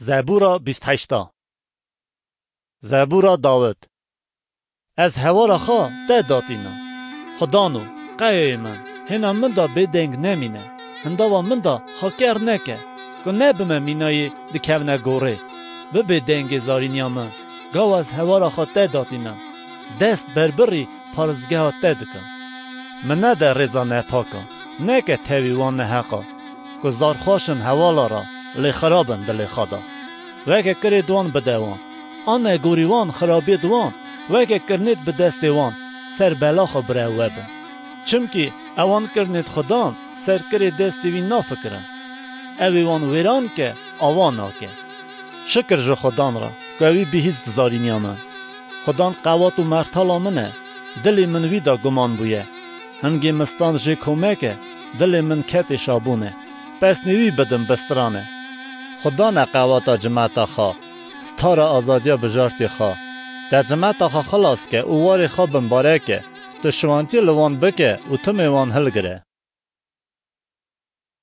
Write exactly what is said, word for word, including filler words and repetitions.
Zebûra bîst heşt. Zebûra Dawid. Ez hewara xwe te datînim. Xudano, qeyeyê min, hêna min de bêdeng nemîne. Hindava min de xwe ker neke, ku nebime mînayê dikevne gorê. Bibe dengê zarîniya min, gawa ez hewara xwe te datînim. Dest berbirî paristgeha te dikim. Min nede rêza nepak a, neke tevî wan neheq a, ku zar xweş in hewala re, lê xirab in dilê xwe de. Weke kirêd wan bide wan, an negorî wan xirabiyêd wan, weke kirnêd bi destê wan, ser bela xwe bire ew webin. Çimkî ewan kirnêd Xudan ser kirê destê wî nafikirin. Ew ê wan wêran ke, awa nake. Şikir ji Xudan re, ku ewî bihîst zarîniya min. Xudan qewat û mertala min e, dilê min wî de guman bûye. Hingê min stand jê komeke, dilê min ketê şabûne. Pesnê wî bidim bistrane. Xudan e qewata cimeta xwe, stara azadiya bijartê xwe. Te cimeta xwe xilas ke û warê xwe bimbareke, tu şiwantiyê li wan bike û timê wan hilgire.